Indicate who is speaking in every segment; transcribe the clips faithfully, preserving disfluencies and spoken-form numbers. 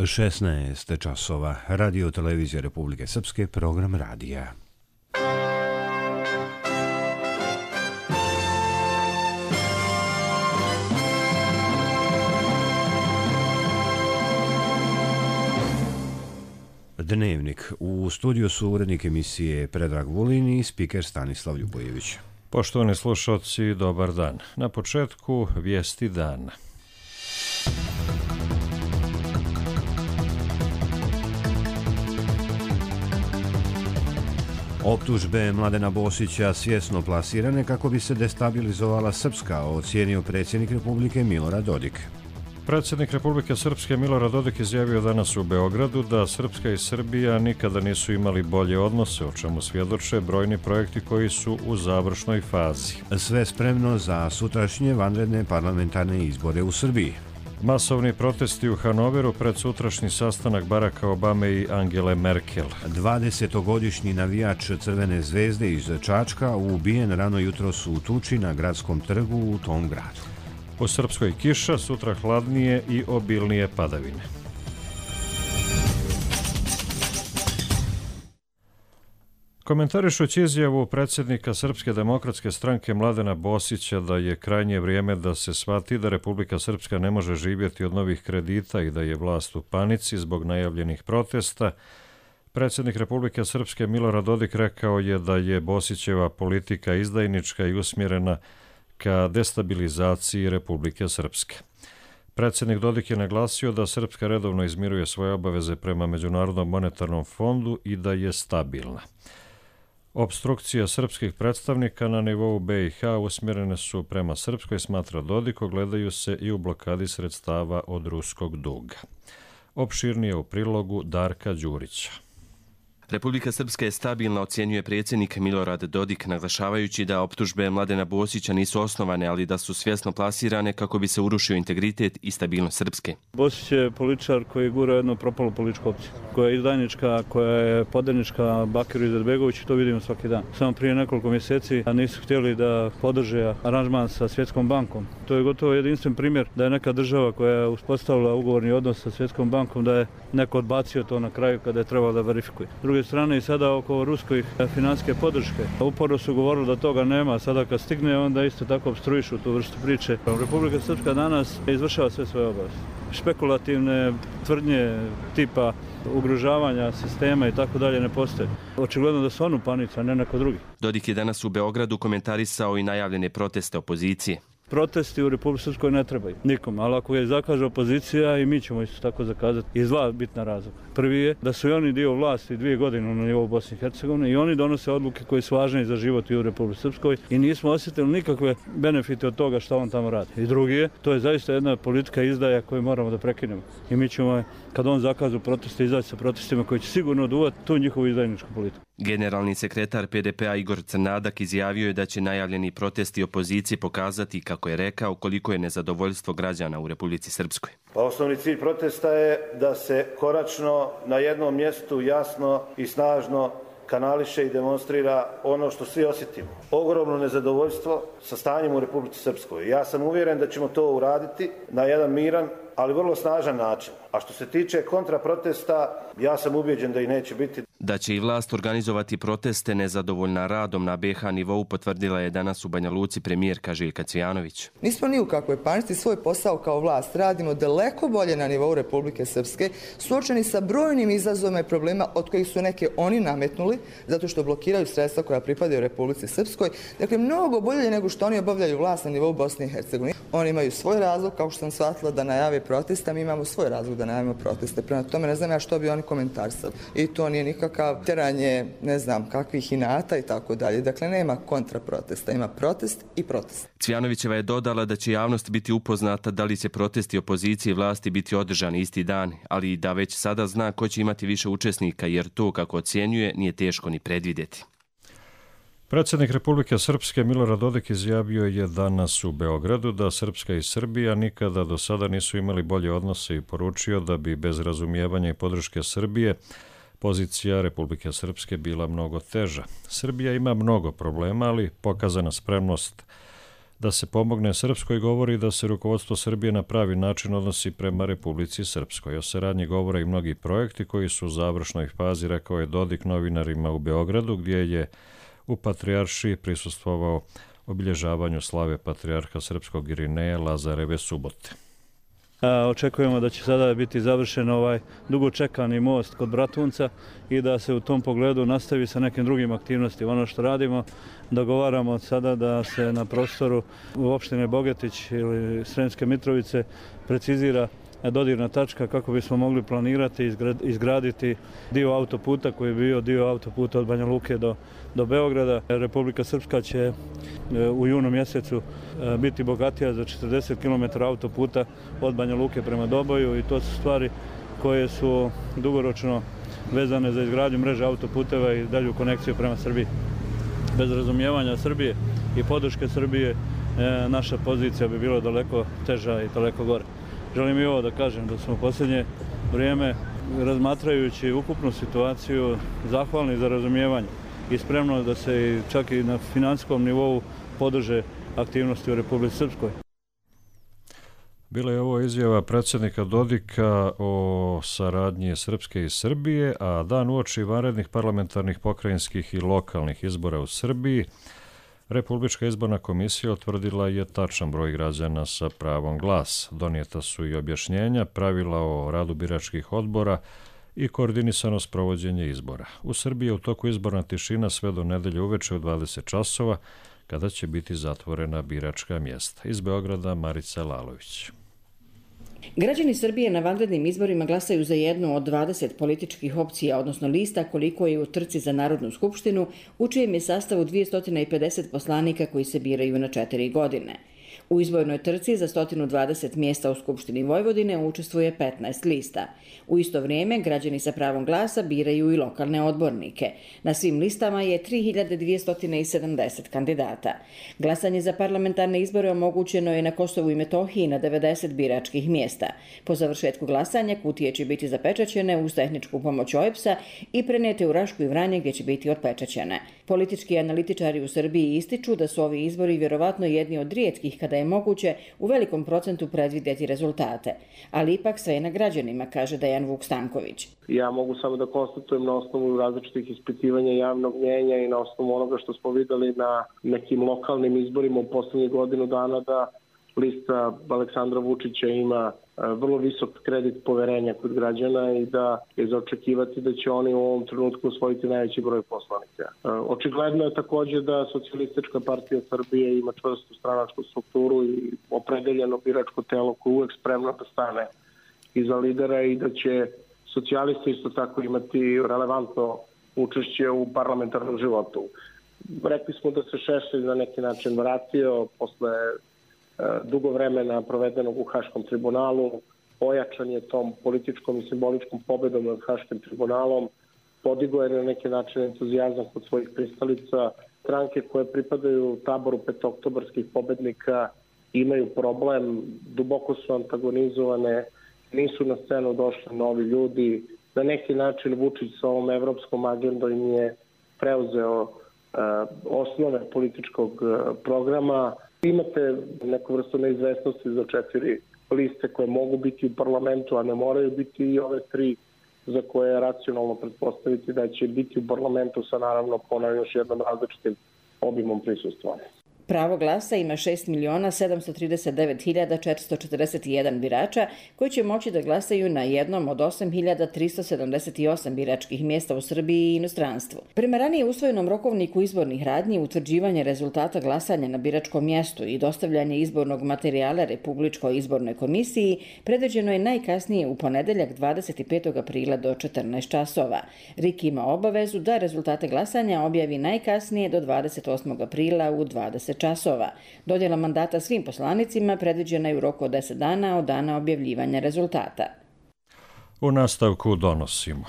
Speaker 1: šesnaest časova. Radio televizija Republike Srpske, program radija. Dnevnik. U studiju su urednik emisije Predrag Vulin i spiker Stanislav Ljubojević.
Speaker 2: Poštovani slušalci, dobar dan. Na početku vijesti dana.
Speaker 1: Optužbe Mladena Bosića svjesno plasirane kako bi se destabilizovala Srpska, ocijenio predsjednik Republike Milorad Dodik.
Speaker 2: Predsjednik Republike Srpske Milorad Dodik izjavio danas u Beogradu da Srpska i Srbija nikada nisu imali bolje odnose, o čemu svjedoče brojni projekti koji su u završnoj fazi.
Speaker 1: Sve spremno za sutrašnje vanredne parlamentarne izbore u Srbiji.
Speaker 2: Masovni protesti u Hanoveru pred sutrašnji sastanak Baracka Obame i Angele Merkel.
Speaker 1: dvadesetogodišnji navijač Crvene zvezde iz Čačka ubijen rano jutros u tuči na gradskom trgu u tom gradu.
Speaker 2: U Srpskoj kiša, sutra hladnije i obilnije padavine. Komentarišući izjavu predsjednika Srpske demokratske stranke Mladena Bosića da je krajnje vrijeme da se shvati da Republika Srpska ne može živjeti od novih kredita i da je vlast u panici zbog najavljenih protesta, predsjednik Republike Srpske Milorad Dodik rekao je da je Bosićeva politika izdajnička i usmjerena ka destabilizaciji Republike Srpske. Predsjednik Dodik je naglasio da Srpska redovno izmiruje svoje obaveze prema Međunarodnom monetarnom fondu i da je stabilna. Opstrukcije srpskih predstavnika na nivou B i H usmjerene su prema Srpskoj, smatra Dodik, ogledaju se i u blokadi sredstava od ruskog duga. Opširnije u prilogu Darka Đurića.
Speaker 3: Republika Srpska je stabilna, ocjenjuje predsjednik Milorad Dodik, naglašavajući da optužbe Mladena Bosića nisu osnovane, ali da su svjesno plasirane kako bi se urušio integritet i stabilnost Srpske.
Speaker 4: Bosić je političar koji gura jednu propalu političku opciju, koja je izdajnička, koja je podanička Bakiru Izetbegoviću, to vidimo svaki dan. Samo prije nekoliko mjeseci nisu htjeli da podrže aranžman sa Svjetskom bankom. To je gotovo jedinstven primjer da je neka država koja je uspostavila ugovorni odnos sa Svjetskom bankom, da je neko odbacio to na kraju kada je trebalo da verifikuje. S druge strane i sada oko ruskoj financijske podrške. Uporno su govorili da toga nema, sada kad stigne onda isto tako obstruišu tu vrstu priče. Republika Srpska danas izvršava sve svoje obaveze. Špekulativne tvrdnje tipa ugrožavanja sistema i tako dalje ne postoje. Očigledno da su on u panici, a ne neko drugi.
Speaker 3: Dodik je danas u Beogradu komentarisao i najavljene proteste opozicije.
Speaker 4: Protesti u Republici Srpskoj ne trebaju nikom, ali ako je zakaže opozicija i mi ćemo isto tako zakazati iz dva bitna razloga. Prvi je da su i oni dio vlasti dvije godine na nivou Bosne i Hercegovine i oni donose odluke koje su važne za život i u Republici Srpskoj i nismo osjetili nikakve benefite od toga što on tamo radi. I drugi je, to je zaista jedna politika izdaja koju moramo da prekinemo. I mi ćemo, kad on zakazu proteste, izaći sa protestima koji će sigurno oduvati tu njihovu izdajničku politiku.
Speaker 3: Generalni sekretar P D P-a Igor Crnadak izjavio je da će najavljeni protesti opozicije pokazati, kako je rekao, koliko je nezadovoljstvo građana u Republici Srpskoj.
Speaker 5: Pa osnovni cilj protesta je da se konačno na jednom mjestu jasno i snažno kanališe i demonstrira ono što svi osjetimo. Ogromno nezadovoljstvo sa stanjem u Republici Srpskoj. Ja sam uvjeren da ćemo to uraditi na jedan miran, ali vrlo snažan način. A što se tiče kontraprotesta, ja sam ubeđen da i neće biti.
Speaker 3: Da će i vlast organizovati proteste nezadovoljna radom na B H nivou potvrdila je danas u Banja Luci premijerka Željka Cvijanović.
Speaker 6: Nismo ni u kakvoj panici, svoj posao kao vlast radimo daleko bolje na nivou Republike Srpske, suočeni sa brojnim izazovima i problema od kojih su neke oni nametnuli, zato što blokiraju sredstva koja pripadaju Republici Srpskoj. Dakle, mnogo bolje nego što oni obavljaju vlast na nivou Bosne i Hercegovine. Oni imaju svoj razlog, kao što sam shvatila, da najave protesta, mi imamo svoj razlog da najavimo proteste. Prema tome ne znam ja što bi oni komentarisali. I to nije nikakav teranje, ne znam, kakvih inata i tako dalje. Dakle, nema kontraprotesta, ima protest i protest.
Speaker 3: Cvijanovićeva je dodala da će javnost biti upoznata da li će protesti opozicije i vlasti biti održani isti dan, ali i da već sada zna ko će imati više učesnika, jer to, kako ocjenjuje, nije teško ni predvidjeti.
Speaker 2: Predsjednik Republike Srpske Milorad Dodik izjavio je danas u Beogradu da Srpska i Srbija nikada do sada nisu imali bolje odnose i poručio da bi bez razumijevanja i podrške Srbije pozicija Republike Srpske bila mnogo teža. Srbija ima mnogo problema, ali pokazana spremnost da se pomogne Srpskoj govori da se rukovodstvo Srbije na pravi način odnosi prema Republici Srpskoj. O saradnji govore i mnogi projekti koji su u završnoj fazi, rekao je Dodik novinarima u Beogradu, gdje je u Patrijaršiji prisustvovao obilježavanju slave Patrijarha Srpskog Irineja Lazareve subote.
Speaker 4: Očekujemo da će sada biti završen ovaj dugo čekani most kod Bratunca i da se u tom pogledu nastavi sa nekim drugim aktivnostima. Ono što radimo, dogovaramo sada da se na prostoru u opštine Bogetić ili Sremske Mitrovice precizira dodirna tačka kako bismo mogli planirati i izgraditi dio autoputa koji je bio dio autoputa od Banja Luke do, do Beograda. Republika Srpska će u junu mjesecu biti bogatija za četrdeset kilometara autoputa od Banja Luke prema Doboju i to su stvari koje su dugoročno vezane za izgradnju mreže autoputeva i dalju konekciju prema Srbiji. Bez razumijevanja Srbije i podrške Srbije naša pozicija bi bila daleko teža i daleko gore. Želim i ovo da kažem da smo u posljednje vrijeme, razmatrajući ukupnu situaciju, zahvalni za razumijevanje i spremno da se čak i na financijskom nivou podrže aktivnosti u Republici Srpskoj.
Speaker 2: Bila je ovo izjava predsjednika Dodika o saradnji Srpske i Srbije, a dan uoči vanrednih parlamentarnih, pokrajinskih i lokalnih izbora u Srbiji, Republička izborna komisija utvrdila je tačan broj građana sa pravom glas. Donijeta su i objašnjenja, pravila o radu biračkih odbora i koordinisano sprovođenje izbora. U Srbiji je u toku izborna tišina sve do nedelje uveče u dvadeset časova, kada će biti zatvorena biračka mjesta. Iz Beograda Marica Lalović.
Speaker 7: Građani Srbije na vanrednim izborima glasaju za jednu od dvadeset političkih opcija, odnosno lista koliko je u trci za Narodnu skupštinu, u čijem je sastavu dvjesto pedeset poslanika koji se biraju na četiri godine. U izbornoj trci za sto dvadeset mjesta u Skupštini Vojvodine učestvuje petnaest lista. U isto vrijeme građani sa pravom glasa biraju i lokalne odbornike. Na svim listama je tri hiljade dvjesto sedamdeset kandidata. Glasanje za parlamentarne izbore omogućeno je na Kosovu i Metohiji na devedeset biračkih mjesta. Po završetku glasanja kutije će biti zapečaćene uz tehničku pomoć O E B S-a i prenijete u Rašku i Vranje gdje će biti otpečaćene. Politički analitičari u Srbiji ističu da su ovi izbori vjerovatno jedni od rijetkih kada je moguće u velikom procentu predvidjeti rezultate. Ali ipak sve je na građanima, kaže Dejan Vuk Stanković.
Speaker 8: Ja mogu samo da konstatujem na osnovu različitih ispitivanja javnog mnjenja i na osnovu onoga što smo vidjeli na nekim lokalnim izborima u posljednjih godinu dana da lista Aleksandra Vučića ima vrlo visok kredit poverenja kod građana i da je za očekivati da će oni u ovom trenutku osvojiti najveći broj poslanika. Očigledno je također da Socijalistička partija Srbije ima čvrstu stranačku strukturu i opredeljeno biračko telo koje je uvek spremno da stane iza lidera i da će socijalisti isto tako imati relevantno učešće u parlamentarnom životu. Rekli smo da se Šešelj na neki način vratio posle dugo vremena provedenog u Haškom tribunalu, ojačan je tom političkom i simboličkom pobedom nad Haškim tribunalom, podigo je na neki način entuzijazam kod svojih pristalica. Stranke koje pripadaju taboru petooktobarskih pobednika imaju problem, duboko su antagonizovane, nisu na scenu došli novi ljudi. Na neki način Vučić sa ovom evropskom agendom im je preuzeo uh, osnove političkog uh, programa. Imate neku vrstu neizvesnosti za četiri liste koje mogu biti u parlamentu, a ne moraju biti i ove tri za koje je racionalno pretpostaviti da će biti u parlamentu sa naravno ponavljam još jednom različitim obimom prisustva.
Speaker 7: Pravo glasa ima šest miliona sedamsto trideset devet hiljada četiristo četrdeset jedan birača koji će moći da glasaju na jednom od osam hiljada tristo sedamdeset osam biračkih mjesta u Srbiji i inostranstvu. Prema ranije usvojenom rokovniku izbornih radnji, utvrđivanje rezultata glasanja na biračkom mjestu i dostavljanje izbornog materijala Republičkoj izbornoj komisiji predviđeno je najkasnije u ponedeljak dvadeset petog aprila do četrnaest časova. R I K ima obavezu da rezultate glasanja objavi najkasnije do dvadeset osmog aprila u dvadeset časova. Dodjela mandata svim poslanicima predviđena je u roku od deset dana od dana objavljivanja rezultata.
Speaker 2: U nastavku donosimo.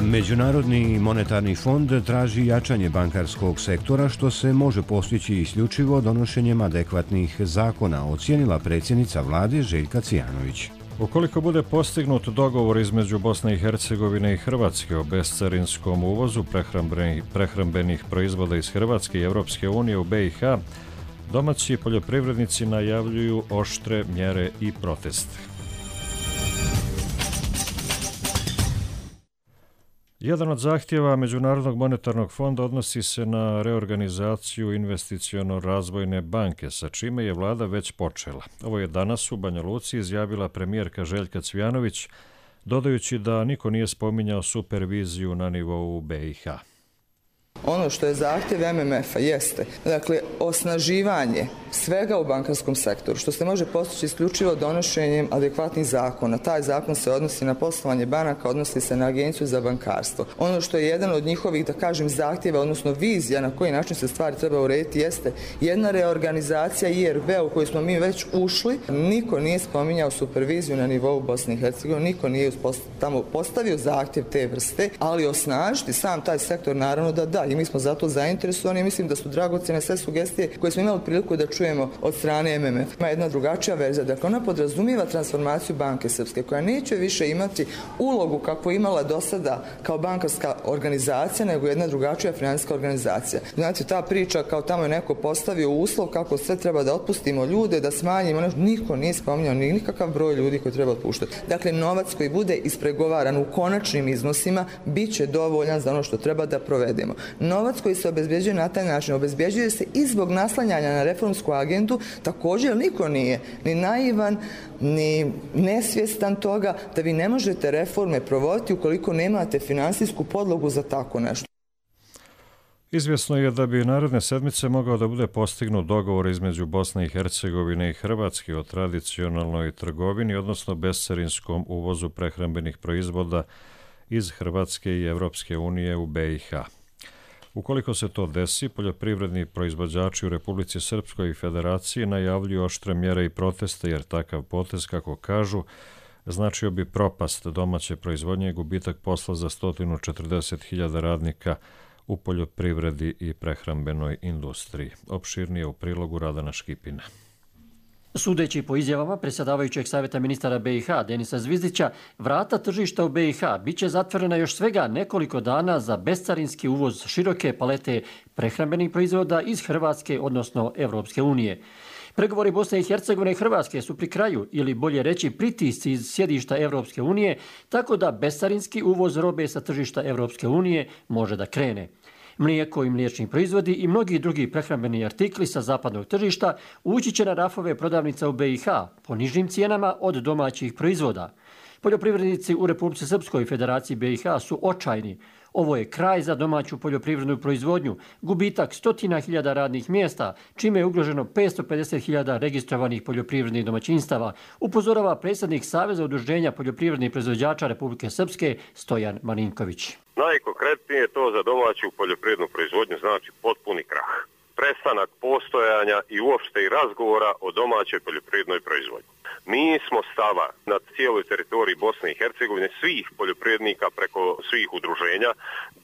Speaker 1: Međunarodni monetarni fond traži jačanje bankarskog sektora što se može postići isključivo donošenjem adekvatnih zakona, ocijenila predsjednica vlade Željka Cijanović.
Speaker 2: Ukoliko bude postignut dogovor između Bosne i Hercegovine i Hrvatske o bescarinskom uvozu prehrambenih, prehrambenih proizvoda iz Hrvatske i Europske unije u B i H, domaći poljoprivrednici najavljuju oštre mjere i proteste. Jedan od zahtjeva Međunarodnog monetarnog fonda odnosi se na reorganizaciju investiciono-razvojne banke, sa čime je vlada već počela. Ovo je danas u Banja Luci izjavila premijerka Željka Cvijanović, dodajući da niko nije spominjao superviziju na nivou B i H.
Speaker 6: Ono što je zahtjev M M F-a jeste, dakle, osnaživanje svega u bankarskom sektoru, što se može postići isključivo donošenjem adekvatnih zakona. Taj zakon se odnosi na poslovanje banaka, odnosi se na Agenciju za bankarstvo. Ono što je jedan od njihovih, da kažem, zahtjeva, odnosno vizija na koji način se stvari treba urediti, jeste jedna reorganizacija I R B u koju smo mi već ušli. Niko nije spominjao superviziju na nivou Bosne i Hercegovine, niko nije tamo postavio zahtjev te vrste, ali osnažiti sam taj sektor, naravno da da. I mi smo zato zainteresovani i mislim da su dragocjene sve sugestije koje smo imali priliku da čujemo od strane M M F. Ima jedna drugačija verzija, dakle ona podrazumijeva transformaciju Banke Srpske, koja neće više imati ulogu kako imala do sada kao bankarska organizacija, nego jedna drugačija financijska organizacija. Znači, ta priča kao tamo je neko postavio uslov kako sve treba da otpustimo ljude, da smanjimo, niko nije spominjao ni nikakav broj ljudi koji treba otpuštati. Dakle, novac koji bude ispregovaran u konačnim iznosima bit će dovoljan za ono što treba da provedemo. Novac koji se obezbjeđuje na taj način obezbjeđuje se i zbog naslanjanja na reformsku agendu, također niko nije ni naivan, ni nesvjestan toga da vi ne možete reforme provoditi ukoliko nemate finansijsku podlogu za tako nešto.
Speaker 2: Izvjesno je da bi naredne sedmice mogao da bude postignut dogovor između Bosne i Hercegovine i Hrvatske o tradicionalnoj trgovini, odnosno bescarinskom uvozu prehrambenih proizvoda iz Hrvatske i Europske unije u B i H. Ukoliko se to desi, poljoprivredni proizvođači u Republici Srpskoj i Federaciji najavljuju oštre mjere i proteste, jer takav potez, kako kažu, značio bi propast domaće proizvodnje i gubitak posla za sto četrdeset hiljada radnika u poljoprivredi i prehrambenoj industriji. Opširnije u prilogu Radana Škipina.
Speaker 9: Sudeći po izjavama predsjedavajućeg savjeta ministara B i H Denisa Zvizdića, vrata tržišta u B i H bit će zatvorena još svega nekoliko dana za bescarinski uvoz široke palete prehrambenih proizvoda iz Hrvatske, odnosno Evropske unije. Pregovori Bosne i Hercegovine i Hrvatske su pri kraju, ili bolje reći pritisci iz sjedišta Evropske unije, tako da bescarinski uvoz robe sa tržišta Evropske unije može da krene. Mlijeko i mliječni proizvodi i mnogi drugi prehrambeni artikli sa zapadnog tržišta ući će na rafove prodavnica u B i H po nižim cijenama od domaćih proizvoda. Poljoprivrednici u Republici Srpskoj i Federaciji B i H su očajni. Ovo je kraj za domaću poljoprivrednu proizvodnju, gubitak stotina hiljada radnih mjesta, čime je ugroženo petsto pedeset hiljada registrovanih poljoprivrednih domaćinstava, upozorava predsjednik Saveza udruženja poljoprivrednih proizvođača Republike Srpske Stojan Marinković.
Speaker 10: Najkonkretnije to za domaću poljoprivrednu proizvodnju znači potpuni krah, prestanak postojanja i uopšte i razgovora o domaćoj poljoprivrednoj proizvodnji. Mi smo stava na cijeloj teritoriji Bosne i Hercegovine, svih poljoprivrednika preko svih udruženja,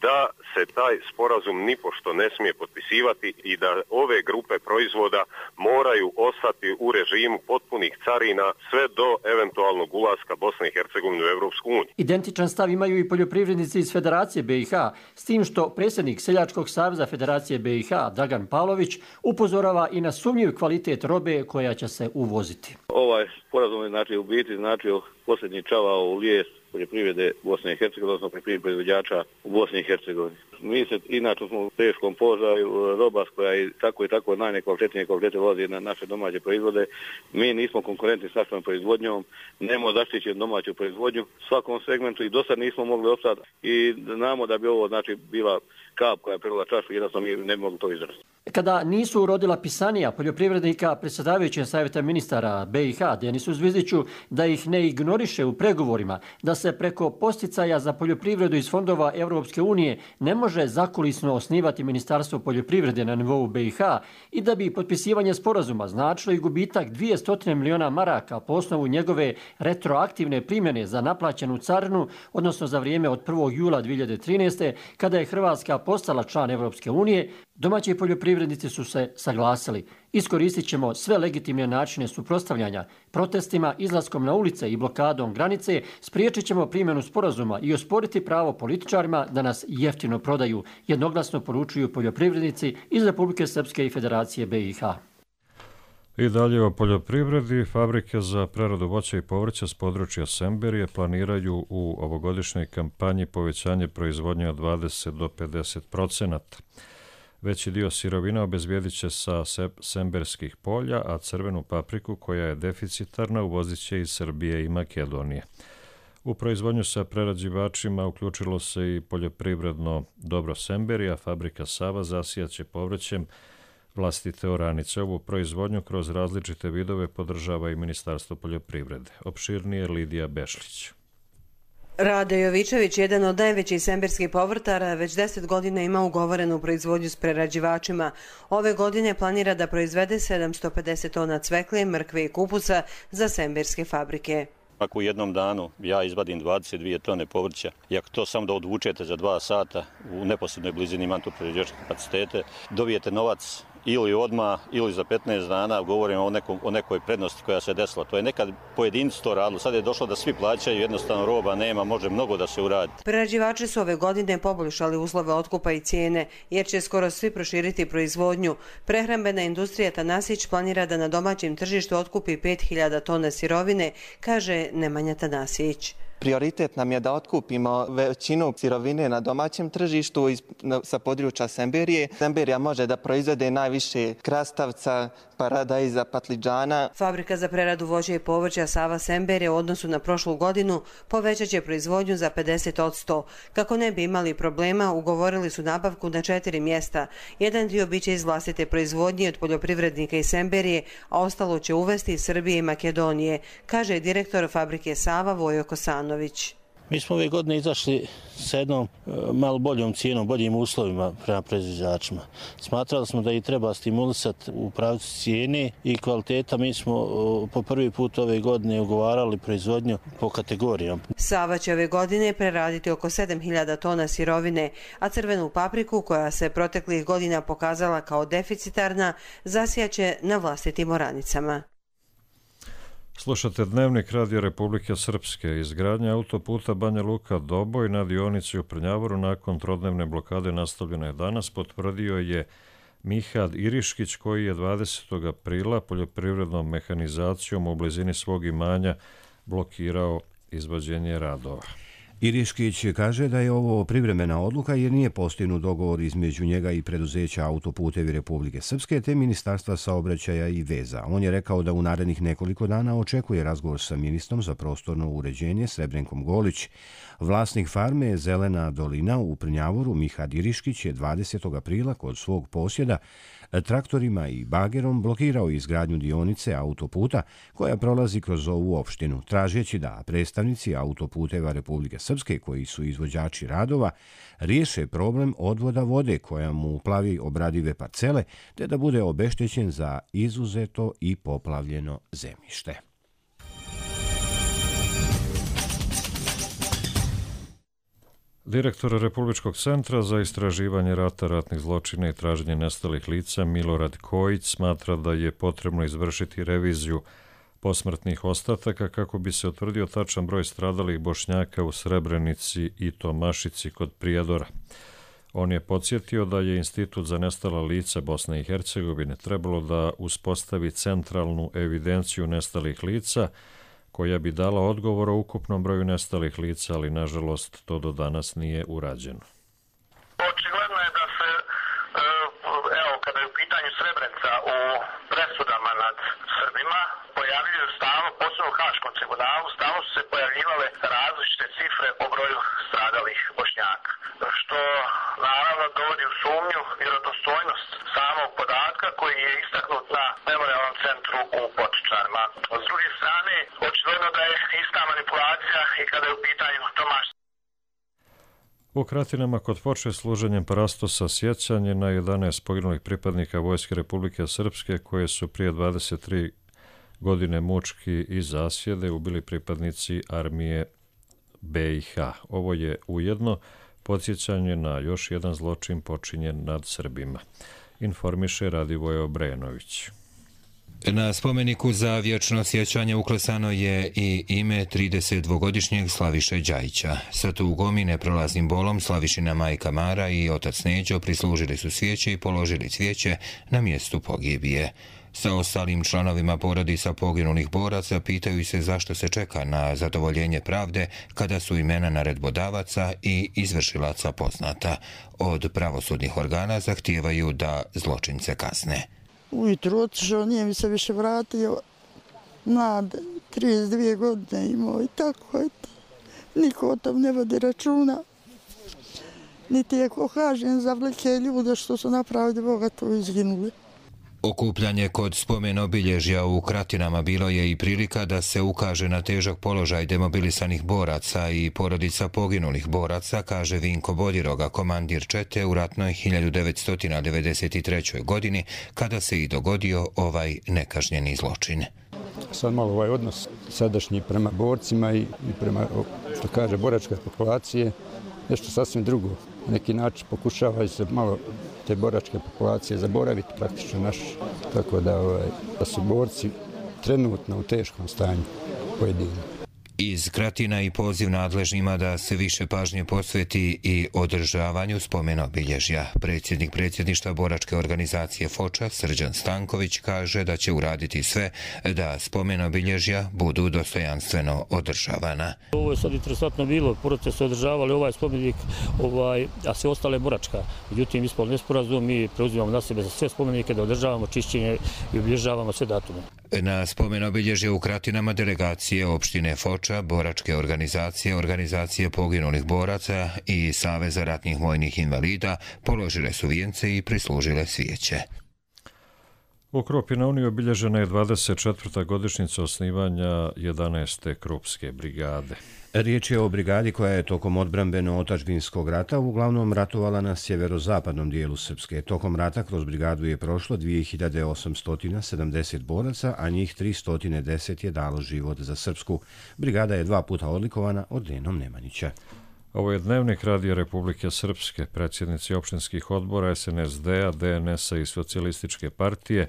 Speaker 10: da se taj sporazum nipošto ne smije potpisivati i da ove grupe proizvoda moraju ostati u režimu potpunih carina sve do eventualnog ulaska Bosne i Hercegovine u Evropsku uniju.
Speaker 9: Identičan stav imaju i poljoprivrednici iz Federacije B i H, s tim što predsjednik Seljačkog saveza Federacije B i H Dragan Pavlović upozorava i na sumnjiv kvalitet robe koja će se uvoziti.
Speaker 11: Ovaj sporazum je znači u biti značio posljednji čavao u lijes poljoprivrede Bosne i Hercegovine, odnosno poljoprivrednih proizvođača u Bosni i Hercegovini. Mi se inače smo u teškom položaju, roba koja i tako i tako najnekvalitetnije kvalitete vozi na naše domaće proizvode. Mi nismo konkurentni s našom proizvodnjom, nemamo zaštićenu domaću proizvodnju u svakom segmentu i do sad nismo mogli opstati i znamo da bi ovo znači bila kap koja je prelila čašu i jednostavno mi ne bi mogli to izdržati.
Speaker 9: Kada nisu urodila pisanija poljoprivrednika predsjedavajućeg savjeta ministara B i H Denisu Zvizdiću da ih ne ignoriše u pregovorima, da se preko posticaja za poljoprivredu iz fondova Evropske unije ne može zakulisno osnivati Ministarstvo poljoprivrede na nivou B i H i da bi potpisivanje sporazuma značilo i gubitak dvjesto miliona maraka po osnovu njegove retroaktivne primjene za naplaćenu carinu, odnosno za vrijeme od prvog jula dvije hiljade trinaeste. kada je Hrvatska postala član Evropske unije, Domaći poljoprivrednici su se saglasili. Iskoristit ćemo sve legitimne načine suprotstavljanja, protestima, izlaskom na ulice i blokadom granice, spriječit ćemo primjenu sporazuma i osporiti pravo političarima da nas jeftino prodaju, jednoglasno poručuju poljoprivrednici iz Republike Srpske i Federacije B i H.
Speaker 2: I dalje o poljoprivredi. Fabrike za preradu voća i povrća s područja Semberije planiraju u ovogodišnjoj kampanji povećanje proizvodnje od dvadeset do pedeset procenata. Veći dio sirovina obezbijedit će sa semberskih polja, a crvenu papriku, koja je deficitarna, uvozit će iz Srbije i Makedonije. U proizvodnju sa prerađivačima uključilo se i poljoprivredno dobro Semberija, fabrika Sava zasijaće povrćem vlastite oranice. Ovu proizvodnju kroz različite vidove podržava i Ministarstvo poljoprivrede. Opširnije Lidija Bešlić.
Speaker 12: Rade Jovičević, jedan od najvećih semberskih povrtara, već deset godina ima ugovorenu proizvodnju s prerađivačima. Ove godine planira da proizvede sedamsto pedeset tona cvekle, mrkve i kupusa za semberske fabrike.
Speaker 13: Ako u jednom danu ja izvadim dvadeset dvije tone povrća i ako to samo da odvučete za dva sata u neposrednoj blizini imam tu prerađivačke kapacitete, dobijete novac ili odmah ili za petnaest dana. Govorimo o, nekom, o nekoj prednosti koja se desila. To je nekad pojedinci to radilo, sad je došlo da svi plaćaju, jednostavno roba nema, može mnogo da se uradi.
Speaker 12: Prerađivači su ove godine poboljšali uslove otkupa i cijene, jer će skoro svi proširiti proizvodnju. Prehrambena industrija Tanasić planira da na domaćem tržištu otkupi pet hiljada tona sirovine, kaže Nemanja Tanasić.
Speaker 14: Prioritet nam je da otkupimo većinu sirovine na domaćem tržištu sa područja Semberije. Semberija može da proizvede najviše krastavca, paradajza, patliđana.
Speaker 12: Fabrika za preradu voća i povrća Sava Semberije u odnosu na prošlu godinu povećat će proizvodnju za pedeset posto. Kako ne bi imali problema, ugovorili su nabavku na četiri mjesta. Jedan dio biće iz vlastite proizvodnje od poljoprivrednika iz Semberije, a ostalo će uvesti iz Srbije i Makedonije, kaže direktor fabrike Sava Vojo Kosanović.
Speaker 15: Mi smo ove godine izašli sa jednom malo boljom cijenom, boljim uslovima prema proizvođačima. Smatrali smo da ih treba stimulisati u pravcu cijene i kvaliteta. Mi smo po prvi put ove godine ugovarali proizvodnju po kategorijama.
Speaker 12: Sava će ove godine preraditi oko sedam hiljada tona sirovine, a crvenu papriku, koja se proteklih godina pokazala kao deficitarna, zasijaće na vlastitim oranicama.
Speaker 2: Slušate Dnevnik Radio Republike Srpske. Izgradnja autoputa Banja Luka-Doboj na dionici u Prnjavoru nakon trodnevne blokade nastavljena je danas, potvrdio je Mihad Iriškić, koji je dvadesetog aprila poljoprivrednom mehanizacijom u blizini svog imanja blokirao izvođenje radova.
Speaker 1: Iriškić kaže da je ovo privremena odluka jer nije postignut dogovor između njega i preduzeća Autoputevi Republike Srpske te Ministarstva saobraćaja i veza. On je rekao da u narednih nekoliko dana očekuje razgovor sa ministrom za prostorno uređenje Srebrenkom Golić. Vlasnik farme Zelena dolina u Prnjavoru, Mihad Iriškić, je dvadesetog aprila kod svog posjeda traktorima i bagerom blokirao izgradnju dionice autoputa koja prolazi kroz ovu opštinu, tražeći da predstavnici Autoputeva Republike Srpske, koji su izvođači radova, riješe problem odvoda vode koja mu plavi obradive parcele, te da bude obeštećen za izuzeto i poplavljeno zemljište.
Speaker 2: Direktor Republičkog centra za istraživanje rata, ratnih zločina i traženje nestalih lica Milorad Kojić smatra da je potrebno izvršiti reviziju posmrtnih ostataka kako bi se utvrdio tačan broj stradalih Bošnjaka u Srebrenici i Tomašici kod Prijedora. On je podsjetio da je Institut za nestala lica Bosne i Hercegovine trebalo da uspostavi centralnu evidenciju nestalih lica koja bi dala odgovor o ukupnom broju nestalih lica, ali nažalost to do danas nije urađeno.
Speaker 16: Očigledno je da se, evo, kada je u pitanju Srebrenica u presudama nad Srbima, pojavljuju stalno, posebno u Haškom tribunalu, stalno su se pojavljivale različite cifre o broju stradalih Bošnjaka, što naravno dovodi u sumnju vjerodostojnost samog podatka koji je istaknut na memorijalnom centru u Potočarima. S druge strane, očigledno da je ista manipulacija i kada je u pitanju Tomaš.
Speaker 2: U Kratinama kod Foče služenjem parastosa sjećanje na jedanaest poginulih pripadnika Vojske Republike Srpske koje su prije dvadeset tri godine mučki i zasjede ubili pripadnici armije B i H. Ovo je ujedno podsjećanje na još jedan zločin počinjen nad Srbima. Informiše Radivoje Obrenović.
Speaker 17: Na spomeniku za vječno sjećanje uklesano je i ime tridesetdvogodišnjeg Slaviše Đajića. Sa tugom i neprolaznim bolom Slavišina majka Mara i otac Neđo prislužili su svijeće i položili cvijeće na mjestu pogibije. Sa ostalim članovima porodica poginulih boraca pitaju se zašto se čeka na zadovoljenje pravde kada su imena naredbodavaca i izvršilaca poznata. Od pravosudnih organa zahtijevaju da zločince kazne.
Speaker 18: Ujutru otišao, nije mi se više vratio. Mlad, trideset dvije godine imao i tako je to. Niko o tom ne vodi računa. Niti je ko kažen za velike ljude što su napravili Boga to izginuli.
Speaker 17: Okupljanje kod spomen obilježja u Kratinama bilo je i prilika da se ukaže na težak položaj demobilisanih boraca i porodica poginulih boraca, kaže Vinko Bodiroga, komandir čete u ratnoj hiljadu devetsto devedeset trećoj. godini, kada se i dogodio ovaj nekažnjeni zločin.
Speaker 19: Sad malo ovaj odnos sadašnji prema borcima i prema, što kaže, boračke populacije, nešto sasvim drugo. Na neki način pokušavaju se malo te boračke populacije zaboraviti praktično naš, tako da, ovaj, da su borci trenutno u teškom stanju pojedini.
Speaker 17: Iz Kratina i poziv nadležnima da se više pažnje posveti i održavanju spomen obilježja. Predsjednik predsjedništva boračke organizacije Foča, Srđan Stanković, kaže da će uraditi sve da spomen obilježja budu dostojanstveno održavana.
Speaker 20: Ovo je sad interesantno bilo, porodice su održavali ovaj spomenik, ovaj, a sve ostale boračka. Međutim, ispod nesporazum, mi preuzimamo na sebe za sve spomenike da održavamo čišćenje i obilježavamo sve datume.
Speaker 17: Na spomen obilježje u Kratinama delegacije opštine Foča, boračke organizacije, organizacije poginulih boraca i Saveza ratnih vojnih invalida položile su vijence i prislužile svijeće.
Speaker 2: U Krupi na Uniji obilježena je dvadeset četvrta godišnjica osnivanja jedanaeste Krupske brigade.
Speaker 1: Riječ je o brigadi koja je tokom odbrambeno-otačbinskog rata uglavnom ratovala na sjeverozapadnom dijelu Srpske. Tokom rata kroz brigadu je prošlo dvije hiljade osamsto sedamdeset boraca, a njih tristo deset je dalo život za Srpsku. Brigada je dva puta odlikovana ordenom Nemanjića.
Speaker 2: Ovo je Dnevnik Radija Republike Srpske. Predsjednici opštinskih odbora es en es de a, de en es a i Socijalističke partije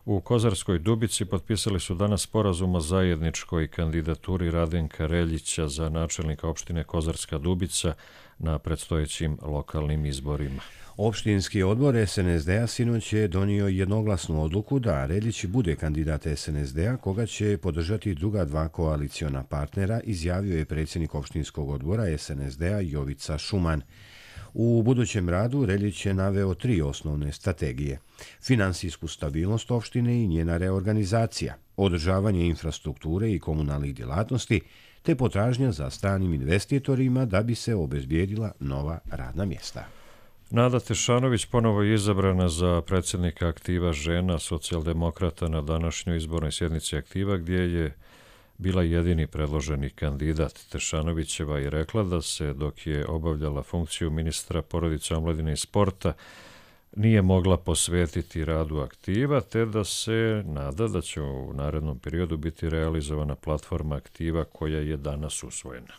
Speaker 2: u Kozarskoj Dubici potpisali su danas sporazum o zajedničkoj kandidaturi Radenka Reljića za načelnika opštine Kozarska Dubica na predstojećim lokalnim izborima.
Speaker 1: Opštinski odbor es en es de a sinoć je donio jednoglasnu odluku da Reljić bude kandidat es en es de a koga će podržati druga dva koaliciona partnera, izjavio je predsjednik opštinskog odbora es en es de a Jovica Šuman. U budućem radu Reljić je naveo tri osnovne strategije: finansijsku stabilnost opštine i njena reorganizacija, održavanje infrastrukture i komunalnih djelatnosti, te potražnja za stranim investitorima da bi se obezbijedila nova radna mjesta.
Speaker 2: Nada Tešanović ponovo je izabrana za predsjednika Aktiva žena socijaldemokrata na današnjoj izbornoj sjednici Aktiva, gdje je bila jedini predloženi kandidat. Tešanovićeva je rekla da se, dok je obavljala funkciju ministra porodice, omladine i sporta, nije mogla posvetiti radu Aktiva, te da se nada da će u narednom periodu biti realizovana platforma Aktiva koja je danas usvojena.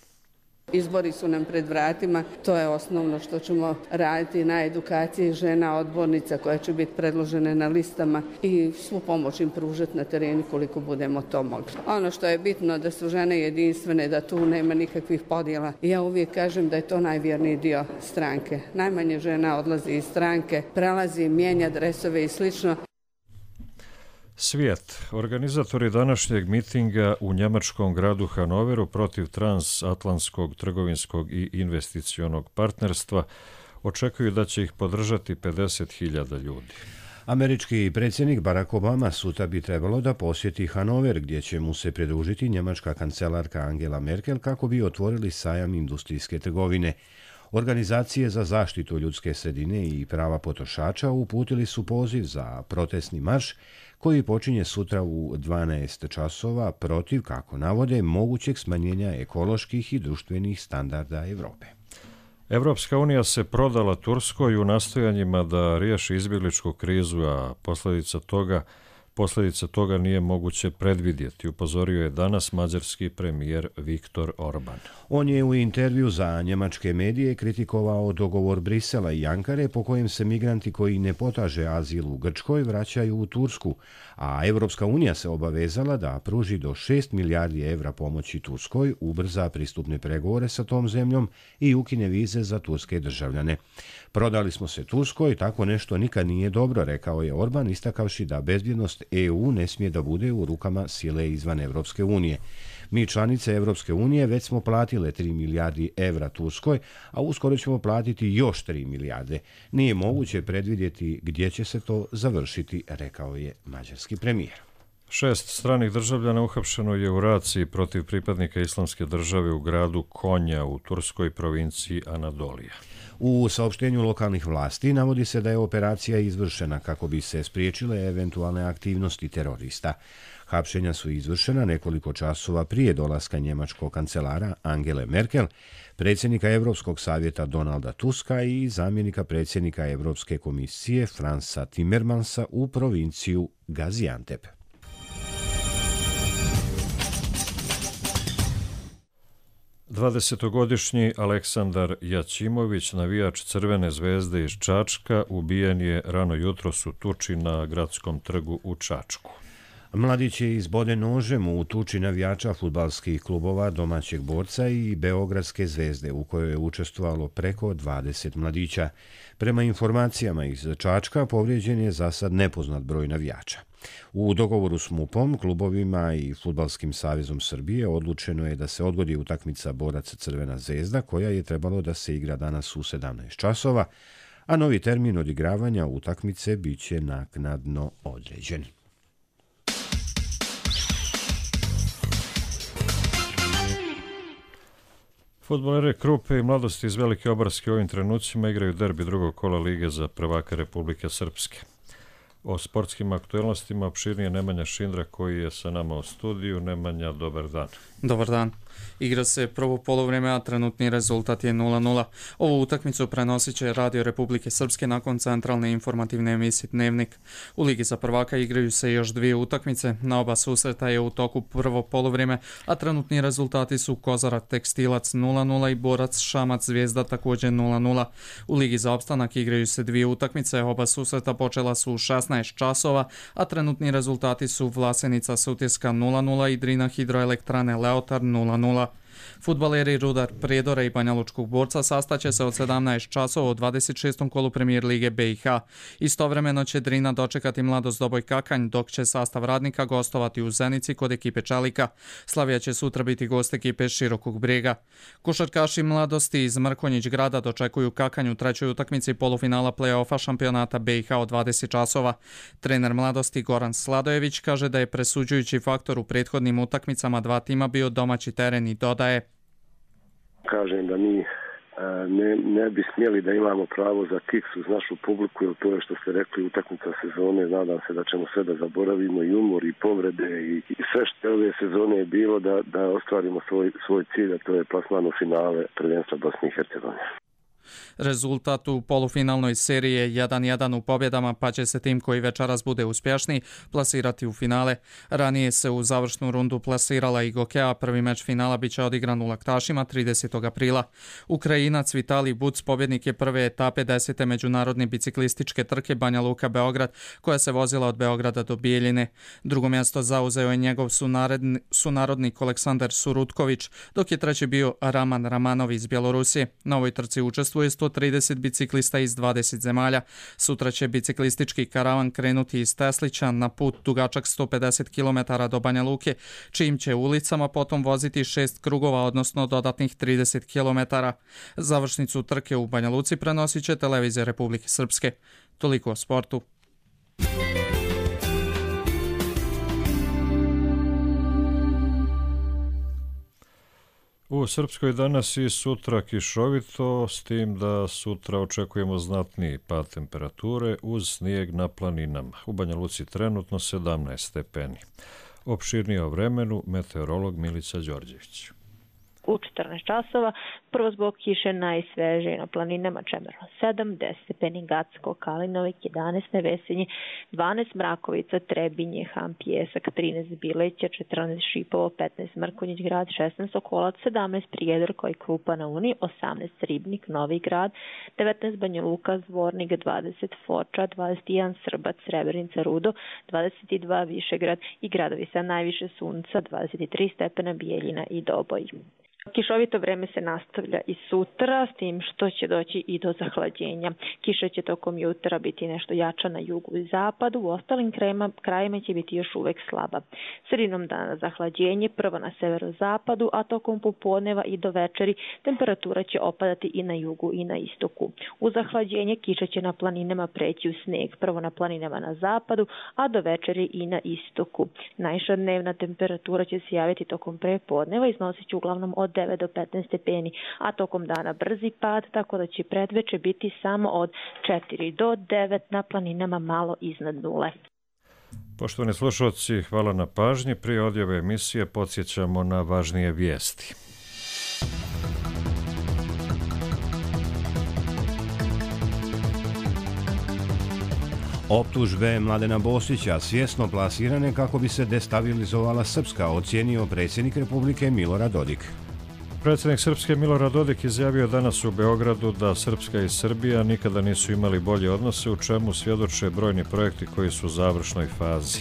Speaker 21: Izbori su nam pred vratima, to je osnovno što ćemo raditi na edukaciji žena odbornica koja će biti predložene na listama i svu pomoć im pružati na terenu koliko budemo to mogli. Ono što je bitno da su žene jedinstvene, da tu nema nikakvih podjela. Ja uvijek kažem da je to najvjerniji dio stranke. Najmanje žena odlazi iz stranke, prelazi, mijenja dresove i slično.
Speaker 2: Svijet. Organizatori današnjeg mitinga u njemačkom gradu Hanoveru protiv transatlantskog trgovinskog i investicionog partnerstva očekuju da će ih podržati pedeset hiljada ljudi.
Speaker 1: Američki predsjednik Barack Obama sutra bi trebalo da posjeti Hanover, gdje će mu se pridružiti njemačka kancelarka Angela Merkel kako bi otvorili sajam industrijske trgovine. Organizacije za zaštitu ljudske sredine i prava potrošača uputili su poziv za protestni marš koji počinje sutra u dvanaest časova protiv, kako navode, mogućeg smanjenja ekoloških i društvenih standarda Evrope.
Speaker 2: Evropska unija se prodala Turskoj u nastojanjima da riješi izbjegličku krizu, a posljedica toga Posljedice toga nije moguće predvidjeti, upozorio je danas mađarski premijer Viktor Orban.
Speaker 1: On je u intervju za njemačke medije kritikovao dogovor Brisela i Ankare po kojem se migranti koji ne potraže azil u Grčkoj vraćaju u Tursku, a Evropska unija se obavezala da pruži do šest milijardi evra pomoći Turskoj, ubrza pristupne pregovore sa tom zemljom i ukine vize za turske državljane. Prodali smo se Turskoj, tako nešto nikad nije dobro, rekao je Orban, istakavši da bezbjednost E U ne smije da bude u rukama sile izvan Evropske unije. Mi članice Evropske unije već smo platile tri milijardi evra Turskoj, a uskoro ćemo platiti još tri milijarde. Nije moguće predvidjeti gdje će se to završiti, rekao je mađarski premijer.
Speaker 2: Šest stranih državljana uhapšeno je u raciji protiv pripadnika Islamske države u gradu Konja u turskoj provinciji Anadolija.
Speaker 1: U saopštenju lokalnih vlasti navodi se da je operacija izvršena kako bi se spriječile eventualne aktivnosti terorista. Hapšenja su izvršena nekoliko časova prije dolaska njemačkog kancelara Angele Merkel, predsjednika Europskog savjeta Donalda Tuska i zamjenika predsjednika Europske komisije Fransa Timmermansa u provinciju Gaziantep.
Speaker 2: dvadesetogodišnji Aleksandar Jaćimović, navijač Crvene zvezde iz Čačka, ubijen je rano jutros u tuči na Gradskom trgu u Čačku.
Speaker 1: Mladić je izboden nožem u tuči navijača fudbalskih klubova Domaćeg borca i Beogradske zvezde, u kojoj je učestvovalo preko dvadeset mladića. Prema informacijama iz Čačka, povrijeđen je za sad nepoznat broj navijača. U dogovoru s MUP-om, klubovima i Fudbalskim savezom Srbije odlučeno je da se odgodi utakmica Borac Crvena zvezda, koja je trebalo da se igra danas u sedamnaest časova, a novi termin odigravanja utakmice biće naknadno određen.
Speaker 2: Fudbaleri Krupe i Mladosti iz Velike Obarske u ovim trenucima igraju derbi drugog kola Lige za prvaka Republike Srpske. O sportskim aktualnostima opširnije Nemanja Šindra koji je sa nama u studiju. Nemanja, dobar dan.
Speaker 5: Dobar dan. Igra se prvo poluvreme, a trenutni rezultat je nula nula. Ovu utakmicu prenosit će Radio Republike Srpske nakon centralne informativne emisije Dnevnik. U Ligi za prvaka igraju se još dvije utakmice. Na oba susreta je u toku prvo poluvreme, a trenutni rezultati su Kozara Tekstilac nula nula i Borac Šamac Zvijezda također nula nula. U Ligi za opstanak igraju se dvije utakmice. Oba susreta počela su u šesnaest časova, a trenutni rezultati su Vlasenica Sutjeska nula nula i Drina Hidroelektrane Leotar nula nula. Fudbaleri Rudar Prijedora i Banjalučkog Borca sastaće se od sedamnaest časova u dvadeset šestom kolu Premijer Lige B i H. Istovremeno će Drina dočekati Mladost Doboj Kakanj, dok će sastav Radnika gostovati u Zenici kod ekipe Čalika. Slavija će sutra biti gost ekipe Širokog Brijega. Košarkaši Mladosti iz Mrkonjić grada dočekuju Kakanj u trećoj utakmici polufinala play-offa šampionata B i H od dvadeset časova. Trener Mladosti Goran Sladojević kaže da je presuđujući faktor u prethodnim utakmicama dva tima bio domaći teren i dodaje:
Speaker 22: Kažem da mi ne, ne bi smjeli da imamo pravo za kiks uz našu publiku, jer to je što ste rekli utakmica sezone. Nadam se da ćemo sve da zaboravimo, i umor i povrede i, i sve što ove sezone je bilo da, da ostvarimo svoj, svoj cilj, a to je plasman u finale prvenstva Bosne i Hercegovine.
Speaker 5: Rezultat u polufinalnoj seriji je jedan jedan u pobjedama, pa će se tim koji večeras bude uspješniji plasirati u finale. Ranije se u završnu rundu plasirala i Gokea, prvi meč finala biće odigran u Laktašima tridesetog aprila. Ukrajinac Vitali Buc pobjednik je prve etape desete međunarodne biciklističke trke Banja Luka Beograd, koja se vozila od Beograda do Bijeljine. Drugo mjesto zauzeo je njegov sunarodni, sunarodnik Aleksandar Surutković, dok je treći bio Raman Ramanov iz Bjelorusije. Na ovoj trci učestvuje sto trideset biciklista iz dvadeset zemalja. Sutra će biciklistički karavan krenuti iz Teslića na put dugačak sto pedeset kilometara do Banja Luke, čijim će ulicama potom voziti šest krugova, odnosno dodatnih trideset kilometara. Završnicu trke u Banja Luci prenosit će Televizija Republike Srpske. Toliko o sportu.
Speaker 2: U Srpskoj danas i sutra kišovito, s tim da sutra očekujemo znatniji pad temperature uz snijeg na planinama. U Banja Luci trenutno sedamnaest stepeni. Opširnije o vremenu meteorolog Milica Đorđević.
Speaker 3: u četrnaest časova, prvo zbog kiše najsvežije na planinama Čemerno sedam, deset stepeni Gacko, Kalinovik, jedanaest Nevesinje, dvanaest Mrakovica, Trebinje, Ham, Pjesak, trinaest Bileća, četrnaest Šipovo, petnaest Mrkonjić grad, šesnaest Sokolac, sedamnaest Prijedor koji Krupa na Uni, osamnaest Ribnik, Novi grad, devetnaest Banja Luka, Zvornik, dvadeset Foča, dvadeset jedan Srbac, Srebrenica, Rudo, dvadeset dva Višegrad i gradovi sa najviše sunca, dvadeset tri stepena Bijeljina i Doboj. Kišovito vreme se nastavlja i sutra, s tim što će doći i do zahlađenja. Kiša će tokom jutra biti nešto jača na jugu i zapadu, u ostalim krajima, krajima će biti još uvek slaba. Sredinom dana zahlađenje, prvo na severozapadu, a tokom popodneva i do večeri temperatura će opadati i na jugu i na istoku. U zahlađenje kiša će na planinama preći u sneg, prvo na planinama na zapadu, a do večeri i na istoku. Najviša dnevna temperatura će se javiti tokom prepodneva, iznosit će uglavnom od devet do petnaest stepeni, a tokom dana brzi pad, tako da će predveče biti samo od četiri do devet, na planinama malo iznad nule.
Speaker 2: Poštovani slušalci, hvala na pažnji. Prije odjave emisije podsjećamo na važnije vijesti.
Speaker 1: Optužbe Mladena Bosića svjesno plasirane kako bi se destabilizovala Srpska, ocijenio predsjednik Republike Milorad Dodik.
Speaker 2: Predsjednik Srpske Milorad Dodik izjavio danas u Beogradu da Srpska i Srbija nikada nisu imali bolje odnose, u čemu svjedoče brojni projekti koji su u završnoj fazi.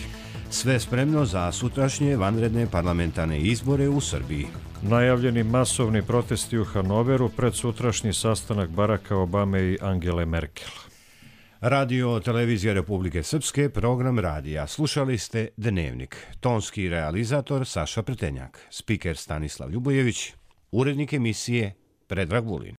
Speaker 1: Sve spremno za sutrašnje vanredne parlamentarne izbore u Srbiji.
Speaker 2: Najavljeni masovni protesti u Hanoveru pred sutrašnji sastanak Baracka Obame i Angele Merkel.
Speaker 1: Radio Televizija Republike Srpske, program radija. Slušali ste Dnevnik. Tonski realizator Saša Pretenjak. Spiker Stanislav Ljubojević. Urednik emisije Predrag Vulin.